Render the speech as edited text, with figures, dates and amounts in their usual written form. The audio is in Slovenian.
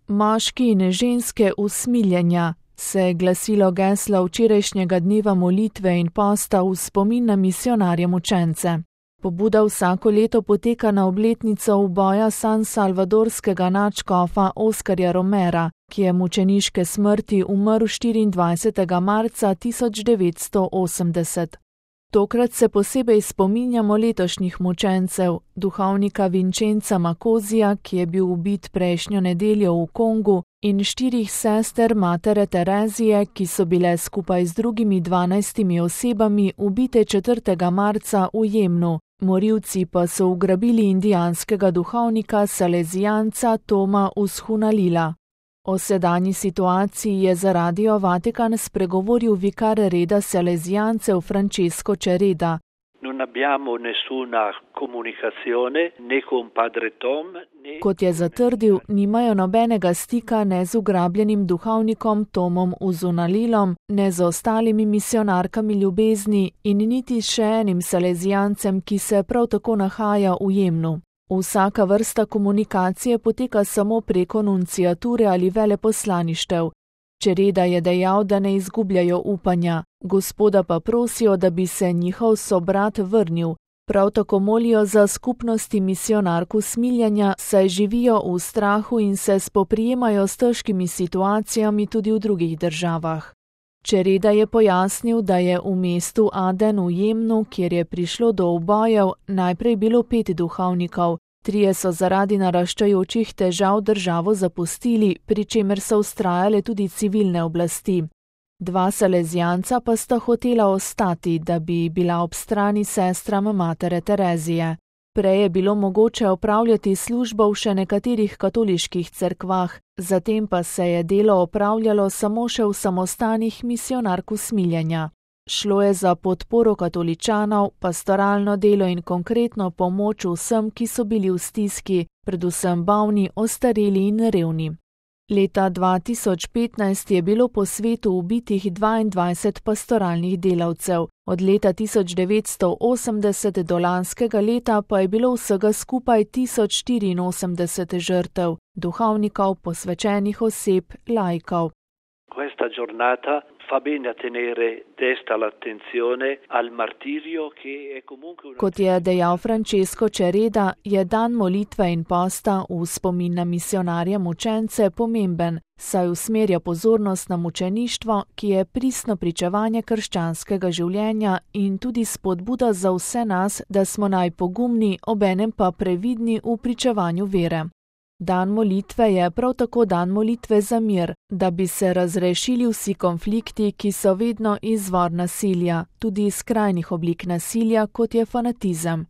Moški in ženske usmiljenja se je glasilo geslo včerajšnjega dneva molitve in posta v spomin na misijonarje mučence. Pobuda vsako leto poteka na obletnico uboja sansalvadorskega nadškofa Oskarja Romera, ki je mučeniške smrti umrl 24. marca 1980. Tokrat se posebej spominjamo letošnjih mučencev, duhovnika Vincenza Makozija, ki je bil ubit prejšnjo nedeljo v Kongu, in 4 sester matere Terezije, ki so bile skupaj z drugimi 12 osebami ubite 4. marca v Jemnu. Morilci pa so ugrabili indijanskega duhovnika salezijanca Toma Ushunalila. O sedanji situaciji je za Radio Vatikan spregovoril vikar reda salezijancev Francesco Cereda. Kot je zatrdil, nimajo nobenega stika ne z ugrabljenim duhovnikom Tomom Ushunalilom, ne z ostalimi misijonarkami ljubezni in niti še enim salezijancem, ki se prav tako nahaja v Jemnu. Vsaka vrsta komunikacije poteka samo preko nunciature ali veleposlaništev. Cereda je dejal, da ne izgubljajo upanja, Gospoda pa prosijo, da bi se njihov sobrat vrnil. Prav tako molijo za skupnosti misijonark usmiljenja, saj živijo v strahu in se spoprijemajo s težkimi situacijami tudi v drugih državah. Cereda je pojasnil, da je v mestu Aden v Jemnu, kjer je prišlo do ubojev, najprej bilo 5 duhovnikov. 3 so zaradi naraščajočih težav državo zapustili, pri čemer so vztrajale tudi civilne oblasti. 2 salezijanca pa sta hotela ostati, da bi bila ob strani sestram matere Terezije. Prej je bilo mogoče opravljati službo v še nekaterih katoliških cerkvah, zatem pa se je delo opravljalo samo še v samostanih misijonark usmiljenja. Šlo je za podporo katoličanov, pastoralno delo in konkretno pomoč vsem, ki so bili v stiski, predvsem bolni, ostareli in revni. Leta 2015 je bilo po svetu ubitih 22 pastoralnih delavcev, od leta 1980 do lanskega leta pa je bilo vsega skupaj 1084 žrtev, duhovnikov, posvečenih oseb, laikov. Kot je dejal Francesco Cereda, je dan molitve in posta v spomin na misijonarje mučence pomemben, saj usmerja pozornost na mučeništvo, ki je pristno pričevanje krščanskega življenja in tudi spodbuda za vse nas, da smo najpogumni, obenem pa previdni v pričevanju vere. Dan molitve je prav tako dan molitve za mir, da bi se razrešili vsi konflikti, ki so vedno izvor nasilja, tudi skrajnih oblik nasilja, kot je fanatizem.